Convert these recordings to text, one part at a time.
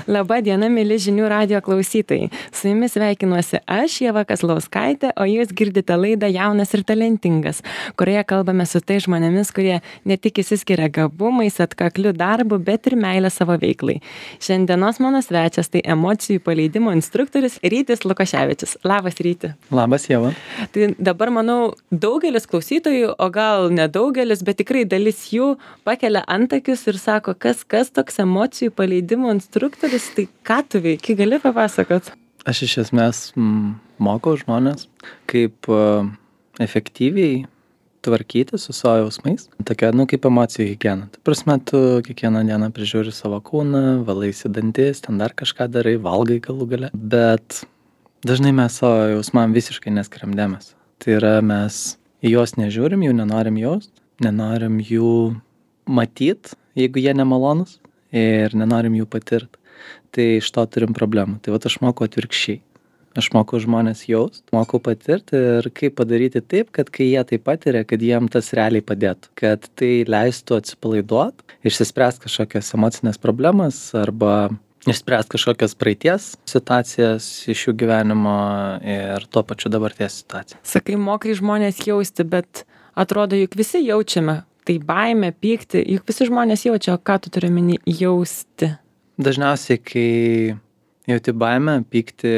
Labą dieną, mėly žinių radijo klausytojai. Su jumis sveikinuosi aš, Ieva Kazlauskaitė, o jūs girdite laidą Jaunas ir talentingas, kurioje kalbame su tai žmonėmis, kurie ne tik išsiskiria gabumais, atkakliu darbu, bet ir meilę savo veiklai. Šiandienos mano svečias tai emocijų paleidimo instruktorius Rytis Lukoševičius. Labas, Ryti. Labas, Ieva. Tai dabar, manau, daugelis klausytojų, o gal nedaugelis, bet tikrai dalis jų pakelia antakius ir sako, kas toks emocijų paleidimo instruktorius, tai ką tu veiki, gali papasakot? Aš iš esmės mokau žmonės, kaip efektyviai tvarkyti su savo jausmais. Tokia, kaip emocijų higiena. Tai prasme, tu kiekvieną dieną prižiūri savo kūną, valaisi dantis, ten dar kažką darai, valgai galų gale. Bet dažnai mes savo jausmam visiškai neskiriam dėmesio. Tai yra, mes į juos nežiūrim, jų nenorim jaust, nenorim jų matyt, jeigu jie nemalonus, ir nenorim jų patirt. Tai iš to turim problemų. Tai vat aš mokau atvirkščiai. Aš mokau žmonės jaust, mokau patirti ir kaip padaryti taip, kad kai jie tai patiria, kad jiem tas realiai padėtų. Kad tai leistų atsipalaiduot, išsispręst kažkokias emocinės problemas arba išspręst kažkokias praeities situacijas iš jų gyvenimo ir tuo pačiu dabarties situaciją. Sakai, mokai žmonės jausti, bet atrodo, juk visi jaučiame. Tai baimė, pykti, juk visi žmonės jaučia, o ką tu turi omeny jausti? Dažniausiai, kai jauti baimę, pykti,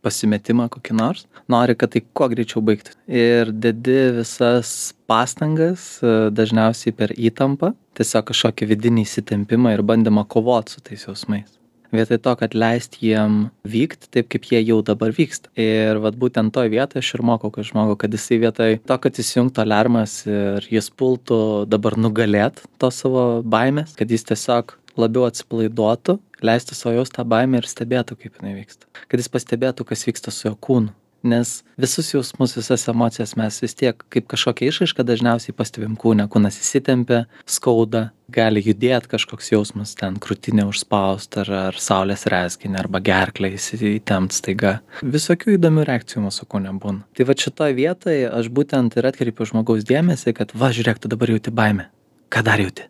pasimetimą kokį nors, nori, kad tai kuo greičiau baigti. Ir dedi visas pastangas, dažniausiai per įtampą, tiesiog kažkokį vidinį įsitempimą ir bandymą kovoti su tais jausmais. Vietoj to, kad leist jiem vykti taip, kaip jie jau dabar vyksta. Ir vat būtent toj vietoje aš ir mokau, kad jisai vietoj to, kad įsijungtų alarmas ir jis pultų dabar nugalėt to savo baimės, kad jis tiesiog labiau atsipalaiduotų, leistų savo jaust tą baimę ir stebėtų, kaip jinai vyksta. Kad jis pastebėtų, kas vyksta su jo kūnu. Nes visus jausmus, visas emocijas mes vis tiek kaip kažkokia išraiška dažniausiai pastebim kūne. Kūnas įsitempia, skauda, gali judėti kažkoks jausmas, ten krūtinė užspaust ar saulės rezginė arba gerklė įsitempt staiga. Visokių įdomių reakcijų mūsų kūne būna. Tai va šitoje vietoje aš būtent ir atkreipiu žmogaus dėmesį, kad va žiūrėk, tu dabar jauti baimę. Ką dar jauti?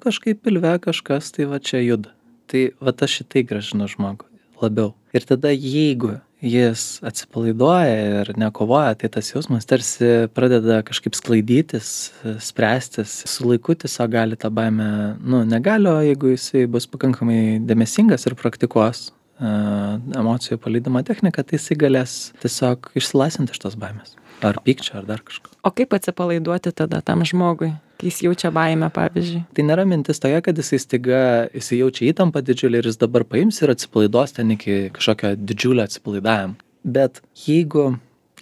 Kažkaip pilve kažkas, tai va čia juda. Tai va aš šitai gražinu žmogų labiau. Ir tada jeigu jis atsipalaiduoja ir nekovoja, tai tas jausmas tarsi pradeda kažkaip sklaidytis, spręstis. Su laiku tiesiog gali tą baimę, negali, o jeigu jisai bus pakankamai dėmesingas ir praktikuos emocijų paleidimo techniką, tai jisai galės tiesiog išsilaisvinti iš tos baimės. Ar pykčio, ar dar kažko. O kaip atsipalaiduoti tada tam žmogui, kai jis jaučia baimę, pavyzdžiui? Tai nėra mintis tokia, kad jisai jaučia įtampą didžiulį ir jis dabar paims ir atsipalaiduos ten iki kažkokio didžiulio atsipalaidavimo. Bet jeigu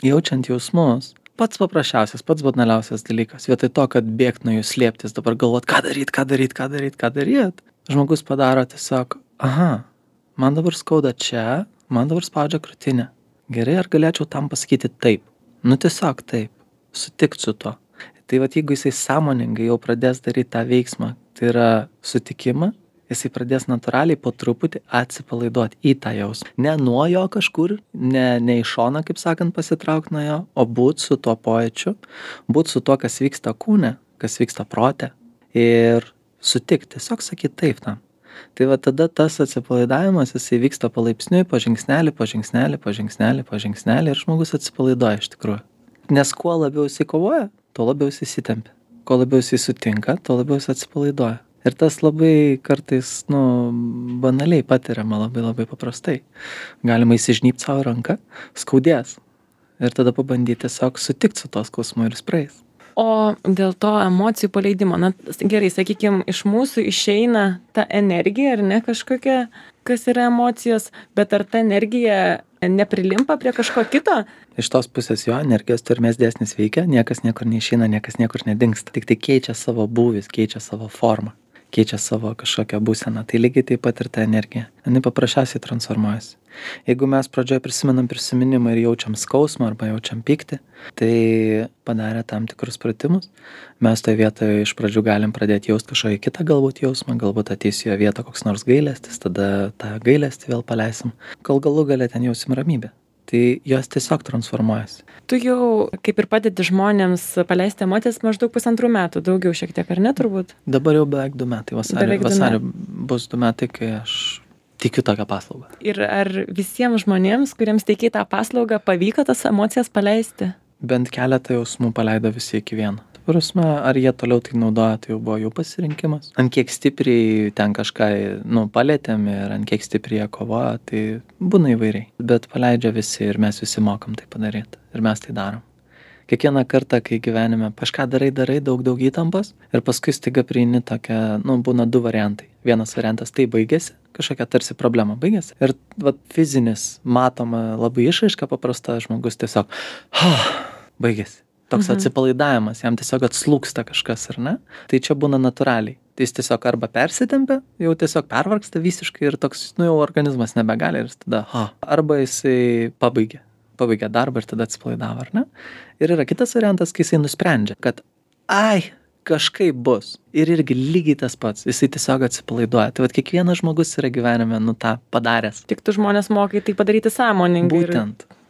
jaučiant jausmus, pats paprasčiausias, pats banaliausias dalykas, vietoj to, kad bėgt nuo jų slėptis, dabar galvot, ką daryt, žmogus padaro tiesiog, man dabar skauda čia, man dabar spaudžia krūtinę. Gerai, ar galėčiau tam pasakyti taip? Tiesiog taip, sutikt su to. Tai jeigu jisai sąmoningai jau pradės daryti tą veiksmą, tai yra sutikimą, jisai pradės natūraliai po truputį atsipalaiduoti į tą jausmą. Ne nuo jo kažkur, ne iš šono, kaip sakant, pasitraukti nuo jo, o būt su tuo pojūčiu, būt su tuo, kas vyksta kūne, kas vyksta prote ir sutikti, tiesiog sakyti taip tam. Tai tada tas atsipalaidavimas, jisai vyksta palaipsniui, po žingsnelį ir žmogus atsipalaiduoja iš tikrųjų. Nes kuo labiau jisai kovoja, tuo labiau jisai įsitempia. Kuo labiau jisai sutinka, tuo labiau jisai atsipalaiduoja. Ir tas labai kartais, banaliai patiriama, labai paprastai. Galima įsižnypt savo ranką, skaudės. Ir tada pabandyti tiesiog sutikti su to skausmu ir jis praeis. O dėl to emocijų paleidimo, gerai, sakykime, iš mūsų išeina ta energija, ar ne kažkokia, kas yra emocijos, bet ar ta energija neprilimpa prie kažko kito? Iš tos pusės jo energijos turmės dėsnis veikia, niekas niekur neišeina, niekas niekur nedingsta. Tik tai keičia savo būvis, keičia savo formą, keičia savo kažkokią būseną. Tai lygiai taip pat ir ta energija. Jinai paprasčiausiai transformuojasi. Jeigu mes pradžioje prisimenam prisiminimą ir jaučiam skausmą arba jaučiam pyktį, tai padarę tam tikrus pratimus, mes toje vietoje iš pradžių galim pradėti jausti kažkokį kitą galbūt jausmą, galbūt ateis į jo vietą koks nors gailestis, tada tą gailestį vėl paleisim, kol galų gale ten jausim ramybę. Tai jos tiesiog transformuojasi. Tu jau kaip ir padedi žmonėms paleisti emocijas maždaug 1,5 metų, daugiau šiek tiek, ar ne turbūt? Dabar jau beveik 2 metai, vasarį bus 2 metai, kai aš tikiu tokią paslaugą. Ir ar visiems žmonėms, kuriems teikiai tą paslaugą, pavyko tas emocijas paleisti? Bent keletą jausmų paleido visi iki vieno. Prasme, ar jie toliau tai naudoja, tai jau buvo jų pasirinkimas. Ant kiek stipriai ten kažką, palėtėm ir ant kiek stipriai jie kovoja, tai būna įvairiai. Bet paleidžia visi ir mes visi mokam tai padaryti. Ir mes tai darom. Kiekvieną kartą, kai gyvenime kažką darai daug įtampos ir paskui staiga prieini tokia, būna du variantai. Vienas variantas tai baigėsi, kažkokia tarsi problema baigėsi. Ir fizinis, matoma labai išraiška paprasta, žmogus tiesiog, baigėsi. Toks atsipalaidavimas, jam tiesiog atslūksta kažkas, ar ne? Tai čia būna natūraliai. Tai jis tiesiog arba persitempia, jau tiesiog pervargsta visiškai ir toks, jau organizmas nebegali ir tada, arba jisai pabaigia darbą ir tada atsipalaidavo, ar ne? Ir yra kitas variantas, kai jisai nusprendžia, kad kažkaip bus. Ir irgi lygiai tas pats, jisai tiesiog atsipalaiduoja. Tai kiekvienas žmogus yra gyvenime, tą padaręs. Tik tu žmonės mokai tai padaryti sąmoningai.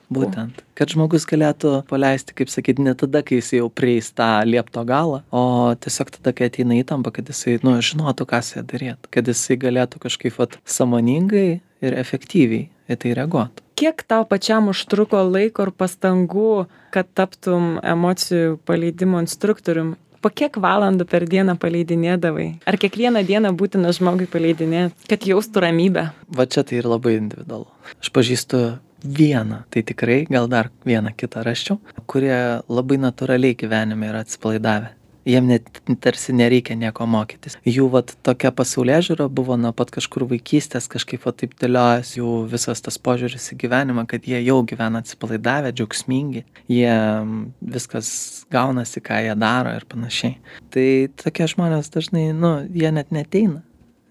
Būtent, kad žmogus galėtų paleisti, kaip sakyti, ne tada, kai jis jau prieis tą liepto galą, o tiesiog tada, kai ateina įtampa, kad jisai, žinotų, ką jisai daryti, kad jisai galėtų kažkaip sąmoningai ir efektyviai į tai reaguoti. Kiek tau pačiam užtruko laiko ir pastangų, kad taptum emocijų paleidimo instruktorium? Po kiek valandų per dieną paleidinėdavai? Ar kiekvieną dieną būtina žmogui paleidinėti, kad jaustų ramybę? Va čia tai ir labai individualu. Aš pažįstu vieną, tai tikrai, gal dar vieną kitą rasčiau, kurie labai natūraliai gyvenime yra atsipalaidavę. Jiem net tarsi nereikia nieko mokytis. Jų tokia pasaulėžiūra buvo nuo pat kažkur vaikystės, kažkaip taip dėliojasi jų visas tas požiūris į gyvenimą, kad jie jau gyvena atsipalaidavę, džiaugsmingi, jie viskas gaunasi, ką jie daro ir panašiai. Tai tokie žmonės dažnai, jie net neateina,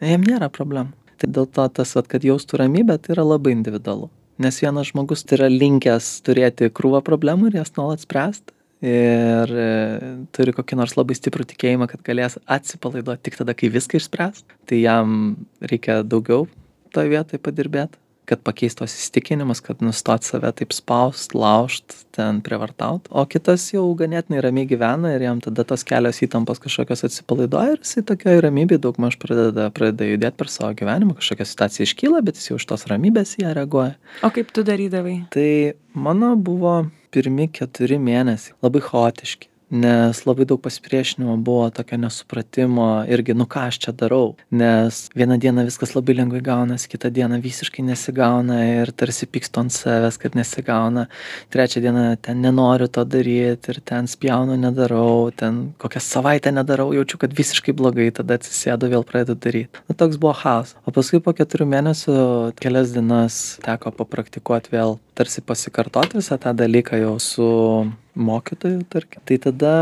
jiem nėra problemų. Tai dėl to tas, kad jaustų ramybę, tai yra labai individualu. Nes vienas žmogus tai yra linkęs turėti krūvą problemų ir jas nuolat spręsti. Ir turi kokį nors labai stiprų tikėjimą, kad galės atsipalaiduoti tik tada, kai viską išspręs. Tai jam reikia daugiau toje vietoje padirbėti, kad pakeistų tos įsitikinimus, kad nustot save taip spaust, laužt, ten prievartaut. O kitas jau ganėtinai ramiai gyvena ir jam tada tos kelios įtampos kažkokios atsipalaiduoja ir jisai tokioj ramybėj daugmaž pradeda judėti per savo gyvenimą. Kažkokia situacija iškyla, bet jis jau iš tos ramybės ją reaguoja. O kaip tu darydavai? Tai mano buvo pirmi 4 mėnesiai labai chaotiški, nes labai daug pasipriešinimo buvo, tokio nesupratimo irgi, ką aš čia darau, nes vieną dieną viskas labai lengvai gaunasi, kitą dieną visiškai nesigauna ir tarsi pykstu ant savęs, kad nesigauna, trečią dieną ten nenoriu to daryti ir ten spjaunu, nedarau, ten kokią savaitę nedarau, jaučiu, kad visiškai blogai, tada atsisėdu, vėl pradedu daryti. Toks buvo chaos. O paskui po 4 mėnesių kelias dienas teko papraktikuoti vėl, tarsi pasikartoti visą tą dalyką jau su mokytoju, tarkim. Tai tada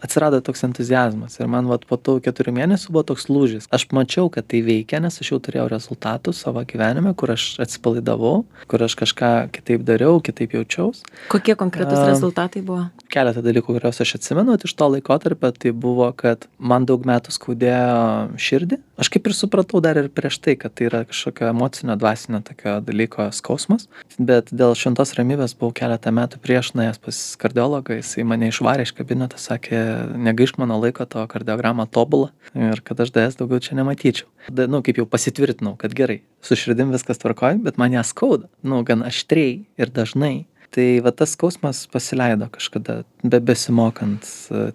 atsirado toks entuziazmas ir man po tų 4 mėnesių buvo toks lūžis. Aš mačiau, kad tai veikia, nes aš jau turėjau rezultatų savo gyvenime, kur aš atsipalaidavau, kur aš kažką kitaip dariau, kitaip jaučiaus. Kokie konkretus rezultatai buvo? Keletą dalykų, kuriuos aš atsimenu iš to laikotarpio, tai buvo, kad man daug metų skaudėjo širdį. Aš kaip ir supratau dar ir prieš tai, kad tai yra kažkokio emocinio, dvasinio tokio dalyko skausmas, bet dėl šventos ramybės buvau keletą metų prieš nuėjęs pas kardiologą, jisai mane išvarė iš kabineto, sakė, negaišk mano laiko, tavo kardiogramą tobulą ir kad aš DS daugiau čia nematyčiau. Kaip jau pasitvirtinau, kad gerai, su širdim viskas tvarkoj, bet man ją skauda, gan aštriai ir dažnai. Tai tas skausmas pasileido kažkada, besimokant,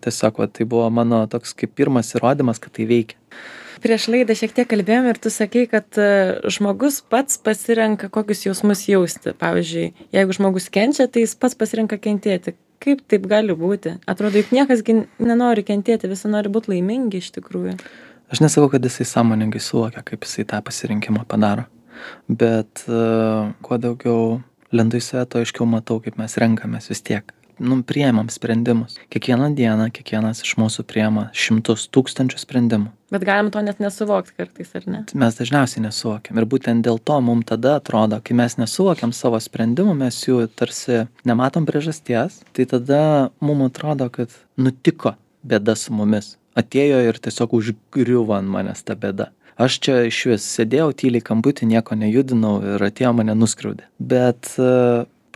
tiesiog tai buvo mano toks kaip pirmas įrodymas, kad tai veikia. Prieš laidą šiek tiek kalbėjom ir tu sakei, kad žmogus pats pasirenka, kokius jausmus jausti. Pavyzdžiui, jeigu žmogus kenčia, tai jis pats pasirenka kentėti. Kaip taip gali būti? Atrodo, juk niekas nenori kentėti, visi nori būti laimingi iš tikrųjų. Aš nesakau, kad jisai sąmoningai suvokia, kaip jisai tą pasirinkimą padaro. Bet kuo daugiau lendu į save, to aiškiau matau, kaip mes renkamės vis tiek. Priėmam sprendimus. Kiekvieną dieną, kiekvienas iš mūsų priėma 100,000 sprendimų. Bet galim to net nesuvokti kartais, ar ne? Mes dažniausiai nesuvokiam. Ir būtent dėl to mums tada atrodo, kai mes nesuvokiam savo sprendimų, mes jų tarsi nematom priežasties, tai tada mums atrodo, kad nutiko bėda su mumis. Atėjo ir tiesiog užgriuvo ant manęs ta bėda. Aš čia iš vis sėdėjau tyliai kamputį, nieko nejudinau ir atėjo mane nuskriaudė. Bet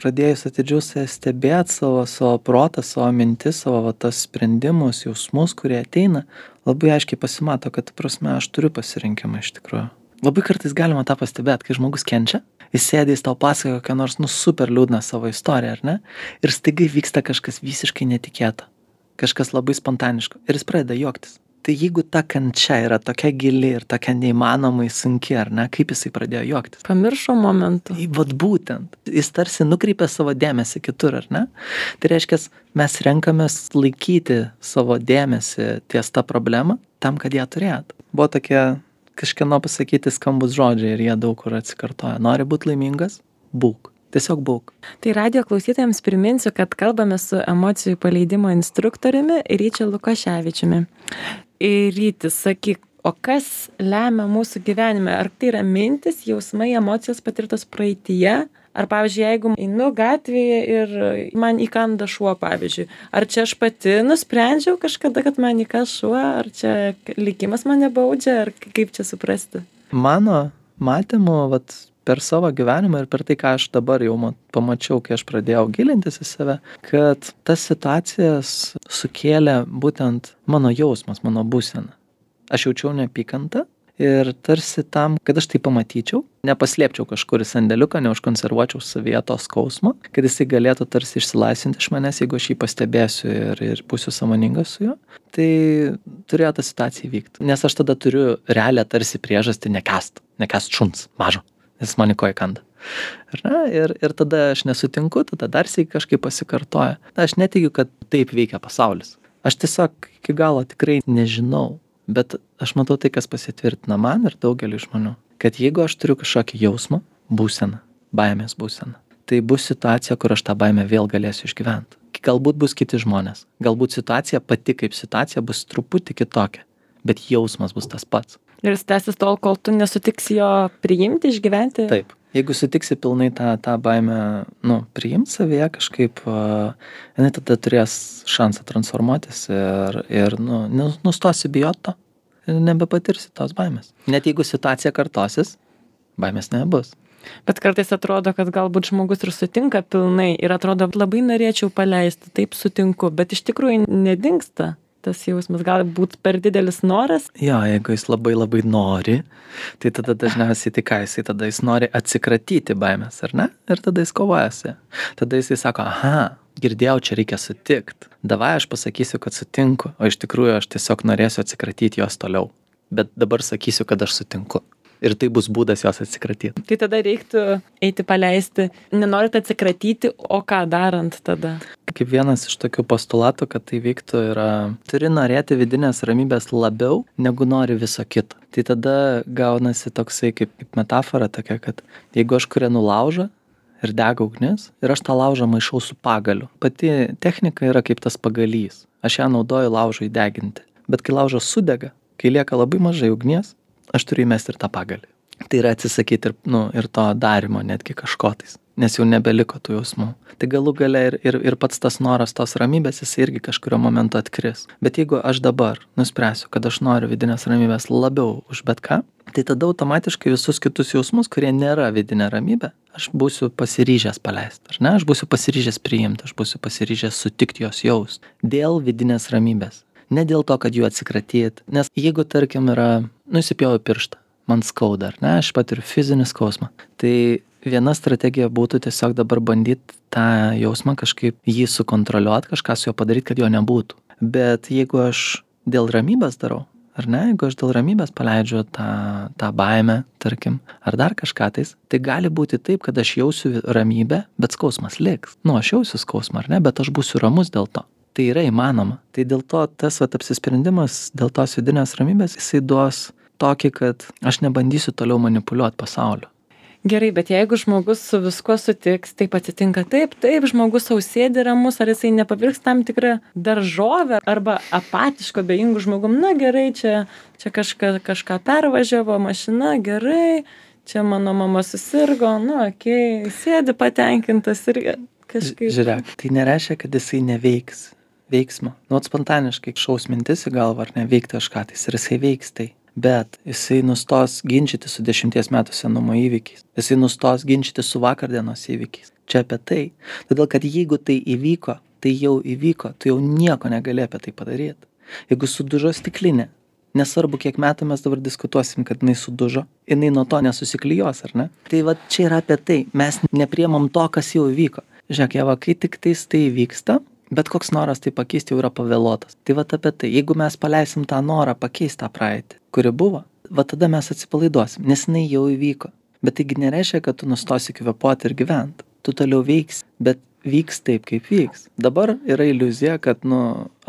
pradėjus atidžiau stebėti savo protą, savo mintis, savo tas sprendimus, jausmus, kurie ateina, labai aiškiai pasimato, kad, prasme, aš turiu pasirinkimą iš tikrųjų. Labai kartais galima tą pastebėti, kai žmogus kenčia, jis sėdė, jis tau pasakoja kokią nors, super liūdną savo istoriją, ar ne? Ir staiga vyksta kažkas visiškai netikėto, kažkas labai spontaniško ir jis pradeda juoktis. Tai jeigu ta kančia yra tokia gili ir tokia neįmanomai sunki, ar ne, kaip jisai pradėjo juoktis? Pamiršo momentų. Vat būtent. Jis tarsi nukreipia savo dėmesį kitur, ar ne? Tai reiškia, mes renkamės laikyti savo dėmesį ties tą problemą tam, kad ją turėtų. Buvo tokie kažkieno pasakyti skambus žodžiai ir jie daug kur atsikartoja. Nori būti laimingas? Būk. Tiesiog būk. Tai radijo klausytojams priminsiu, kad kalbame su emocijų paleidimo instruktoriumi Ryčiu Lukoševičiumi. Ir Rytis, sakyk, o kas lemia mūsų gyvenime? Ar tai yra mintis, jausmai, emocijos patirtos praeityje? Ar, pavyzdžiui, jeigu einu gatvėje ir man įkanda šuo, pavyzdžiui, ar čia aš pati nusprendžiau kažkada, kad man įkas šuo, ar čia likimas mane baudžia, ar kaip čia suprasti? Mano matymu, per savo gyvenimą ir per tai, ką aš dabar jau pamačiau, kai aš pradėjau gilintis į save, kad tas situacijas sukėlė būtent mano jausmas, mano būsena. Aš jaučiau neapykantą ir tarsi tam, kad aš tai pamatyčiau, nepaslėpčiau kažkur į sandėliuką, neužkonservuočiau savyje to skausmo, kad jisai galėtų tarsi išsilaisvinti iš manęs, jeigu aš jį pastebėsiu ir būsiu sąmoningas su juo, tai turėjo ta situacija įvykti. Nes aš tada turiu realią tarsi priežastį nekęst šuns mažo. Jis man į koją kanda. Ir tada aš nesutinku, tada dar sėkiai kažkaip pasikartoja. Aš netikiu, kad taip veikia pasaulis. Aš tiesiog iki galo tikrai nežinau, bet aš matau tai, kas pasitvirtina man ir daugeliu žmonių. Kad jeigu aš turiu kažkokį jausmą, būseną, baimės būseną, tai bus situacija, kur aš tą baimę vėl galėsiu išgyventi. Galbūt bus kiti žmonės. Galbūt situacija pati kaip situacija bus truputį kitokia, bet jausmas bus tas pats. Ir jis tęsis tol, kol tu nesutiksi jo priimti, išgyventi? Taip. Jeigu sutiksi pilnai tą baimę, priimti savyje kažkaip, jinai tada turės šansą transformuotis ir nustosi bijoti to ir nebepatirsi tos baimės. Net jeigu situacija kartosis, baimės nebus. Bet kartais atrodo, kad galbūt žmogus ir sutinka pilnai ir atrodo, labai norėčiau paleisti, taip sutinku, bet iš tikrųjų nedingsta. Tas jausmas gali būti per didelis noras. Jo, jeigu jis labai labai nori, tai tada dažniausiai jis nori atsikratyti baimės, ar ne? Ir tada jis kovojasi. Tada jisai sako, girdėjau, čia reikia sutikti. Davai aš pasakysiu, kad sutinku, o iš tikrųjų aš tiesiog norėsiu atsikratyti jos toliau. Bet dabar sakysiu, kad aš sutinku. Ir tai bus būdas jos atsikratyti. Tai tada reiktų eiti paleisti. Nenorit atsikratyti, o ką darant tada? Kaip vienas iš tokių postulatų, kad tai vyktų, yra turi norėti vidinės ramybės labiau, negu nori viso kito. Tai tada gaunasi toksai kaip metafora tokia, kad jeigu aš kūrenu laužą ir dega ugnis, ir aš tą laužą maišau su pagaliu. Pati technika yra kaip tas pagalys. Aš ją naudoju laužui deginti. Bet kai laužas sudega, kai lieka labai mažai ugnies, aš turiu įmesti ir tą pagalį. Tai yra atsisakyti ir to darimo netgi kažkotais, nes jau nebeliko tų jausmų. Tai galų gale ir pats tas noras tos ramybės, jis irgi kažkurio momentu atkris. Bet jeigu aš dabar nuspręsiu, kad aš noriu vidinės ramybės labiau už bet ką, tai tada automatiškai visus kitus jausmus, kurie nėra vidinė ramybė, aš būsiu pasiryžęs paleisti, ar ne? Aš būsiu pasiryžęs priimti, aš būsiu pasiryžęs sutikti jos jaust dėl vidinės ramybės. Ne dėl to, kad jų atsikratyt, nes jeigu, tarkim, yra, įsipjoviau pirštą, man skauda, ar ne, aš patiriu fizinį skausmą, tai viena strategija būtų tiesiog dabar bandyti tą jausmą kažkaip jį sukontroliuoti, kažką su juo padaryti, kad jo nebūtų. Bet jeigu aš dėl ramybės darau, ar ne, jeigu aš dėl ramybės paleidžiu tą baimę, tarkim, ar dar kažką tais, tai gali būti taip, kad aš jausiu ramybę, bet skausmas liks. Aš jausiu skausmą, ar ne, bet aš būsiu ramus dėl to. Tai yra įmanoma. Tai dėl to tas apsisprendimas dėl tos vidinės ramybės, jisai duos tokį, kad aš nebandysiu toliau manipuliuoti pasauliu. Gerai, bet jeigu žmogus su viskuo sutiks, taip atsitinka taip, žmogus sau sėdi ramus, ar jisai nepavirks tam tikrą daržovę arba apatiško, abejingų žmogum, gerai, čia kažką pervažiavo mašina, gerai, čia mano mama susirgo, okei, sėdi patenkintas ir kažkaip. Žiūrėk, tai nereiškia, kad jisai neveiks veiksmo. Spontaniškai šaus mintis į galvą ar neveikti kažką tais ir jisai veiks tai. Bet jisai nustos ginčyti su 10 metų senumo įvykiais. Jisai nustos ginčyti su vakardienos įvykiais. Čia apie tai. Todėl, kad jeigu tai įvyko, tai jau įvyko. Tu jau nieko negali apie tai padaryti. Jeigu sudužo stiklinė, Nesvarbu, kiek metų mes dabar diskutuosim, kad jinai sudužo, jinai nuo to nesusiklijos, ar ne? Tai va čia yra apie tai, mes nepriemam to, kas jau įvyko. Žiūrėk, Ieva, kai tik tais tai vyksta, bet koks noras tai pakeisti jau yra pavėluotas. Tai va apie tai, jeigu mes paleisim tą norą pakeisti tą praeitį, kuri buvo, va tada mes atsipalaiduosim, nes jinai jau įvyko. Bet taigi nereiškia, kad tu nustosi kvėpuoti ir gyventi. Tu toliau veiksi, bet vyks taip, kaip vyks. Dabar yra iliuzija, kad,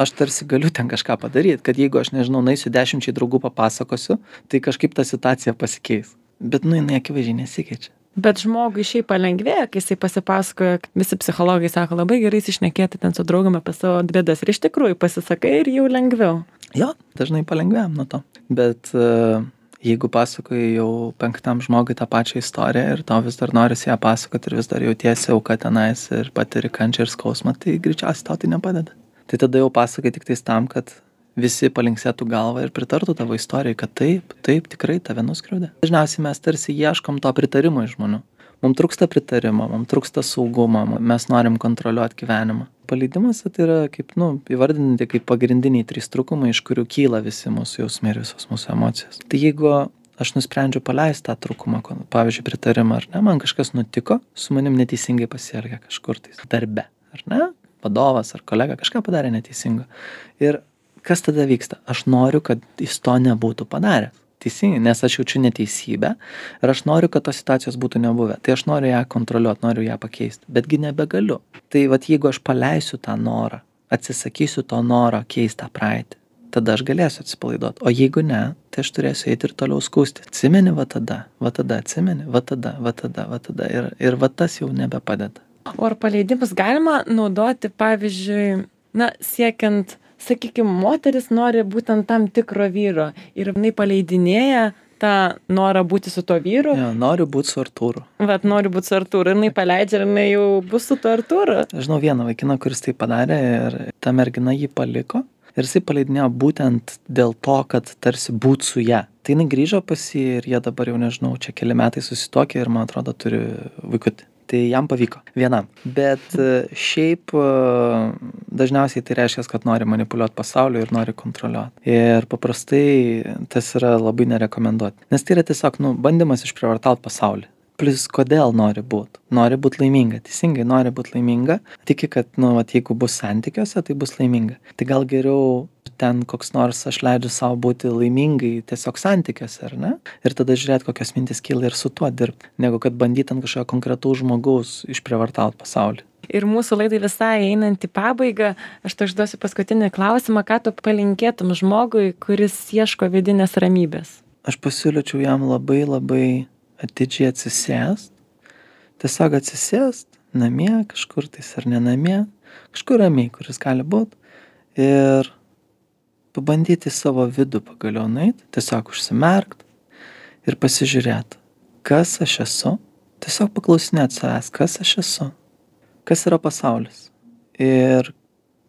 aš tarsi galiu ten kažką padaryti, kad jeigu aš nežinau, naisiu 10 draugų papasakosiu, tai kažkaip ta situacija pasikeis. Bet, jinai akivaizdžiai nesikeičia. Bet žmogui šiaip palengvėja, kai jisai pasipasakoja, visi psichologai sako, labai gerai įsišnekėti ten su draugam apie savo bėdas. Ir iš tikrųjų pasisakai ir jau lengviau. Jo, dažnai palengvėjam nuo to. Bet jeigu pasakoji jau 5 žmogui tą pačią istoriją ir tau vis dar norisi ją pasakoti ir vis dar jautiesi auka tenais ir patiri kančią ir skausmą, tai greičiausiai tau tai nepadeda. Tai tada jau pasakai tik tais tam, kad visi palinksėtų galvą ir pritartų tavo istorijai, kad taip, tikrai tave nuskriaudė. Dažniausiai mes tarsi ieškom to pritarimo iš žmonių. Mums trūksta pritarimo, mums trūksta saugumo, mes norim kontroliuoti gyvenimą. Paleidimas tai yra kaip, įvardinti kaip pagrindiniai 3 trūkumai, iš kurių kyla visi mūsų jausmai ir visos mūsų emocijos. Tai jeigu aš nusprendžiu paleisti tą trūkumą, pavyzdžiui, pritarimą, ar ne, man kažkas nutiko, su manim neteisingai pasielgė kažkur tais darbe, ar ne, vadovas ar kolega kažką padarė neteisingo. Ir kas tada vyksta? Aš noriu, kad jis to nebūtų padaręs. Teisingai, nes aš jaučiu neteisybę ir aš noriu, kad tos situacijos būtų nebuvę. Tai aš noriu ją kontroliuoti, noriu ją pakeisti, betgi nebegaliu. Tai jeigu aš paleisiu tą norą, atsisakysiu to noro keisti tą praeitį, tada aš galėsiu atsipalaiduoti. O jeigu ne, tai aš turėsiu eiti ir toliau skųsti. Atsimeni va tada, atsimeni, va tada. Ir tas jau nebepadeda. O ar paleidimus galima naudoti, pavyzdžiui, siekiant, sakykime, moteris nori būtent tam tikro vyro ir jinai paleidinėja tą norą būti su to vyru. Jo, noriu būti su Artūru. Noriu būti su Artūru ir jinai paleidžia ir jinai jau bus su to Artūru. Žinau vieną vaikiną, kuris tai padarė ir ta mergina jį paliko ir jisai paleidinėjo būtent dėl to, kad tarsi būt su ja. Tai jinai grįžo pas jį ir jie dabar jau nežinau, čia keli metai susituokė ir man atrodo turi vaikutį. Tai jam pavyko vienam. Bet šiaip dažniausiai tai reiškia, kad nori manipuliuoti pasauliu ir nori kontroliuoti. Ir paprastai tas yra labai nerekomenduoti. Nes tai yra tiesiog bandymas išprievartauti pasaulį. Plius kodėl nori būti? Nori būti laiminga. Teisingai nori būti laiminga. Tiki, kad jeigu bus santykiuose, tai bus laiminga. Tai gal geriau ten koks nors aš leidžiu savo būti laimingai tiesiog santykiuose, ar ne? Ir tada žiūrėti, kokios mintis kyla ir su tuo dirbti, negu kad bandyti ant kažkokio konkretaus žmogaus išprievartauti pasaulį. Ir mūsų laidai visai einant į pabaigą, aš tau užduosiu paskutinį klausimą, ką tu palinkėtum žmogui, kuris ieško vidinės ramybės? Aš pasiūlyčiau jam labai atidžiai atsisėst, tiesiog atsisėst namie, kažkur tais ar ne namie, kažkur ramiai, kuris gali būti, ir pabandyti savo vidų pagaliau nueiti, tiesiog užsimerkt ir pasižiūrėti, kas aš esu, tiesiog paklausinėti savęs, kas aš esu, kas yra pasaulis ir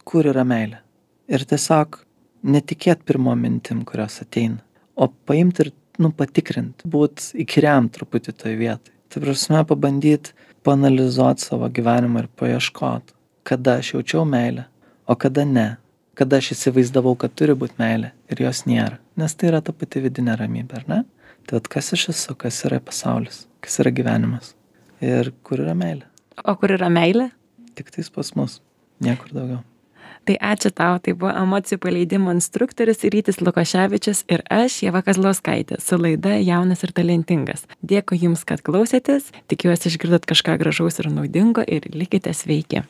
kur yra meilė. Ir tiesiog netikėt pirmo mintim, kurios ateina, o paimti ir patikrinti, būt įkyriam truputį toj vietai. Tai prasme pabandyti paanalizuoti savo gyvenimą ir paieškoti, kada aš jaučiau meilę, o kada ne. Kada aš įsivaizdavau, kad turi būti meilė ir jos nėra. Nes tai yra ta pati vidinė ramybė, ar ne? Tai kas aš esu, kas yra pasaulis, kas yra gyvenimas ir kur yra meilė. O kur yra meilė? Tik tais pas mus, niekur daugiau. Tai ačiū tau, tai buvo emocijų paleidimo instruktorius Rytis Lukoševičius ir aš, Ieva Kazlauskaitė, su laida Jaunas ir talentingas. Dėkui Jums, kad klausėtės, tikiuosi išgirdot kažką gražaus ir naudingo ir likite sveiki.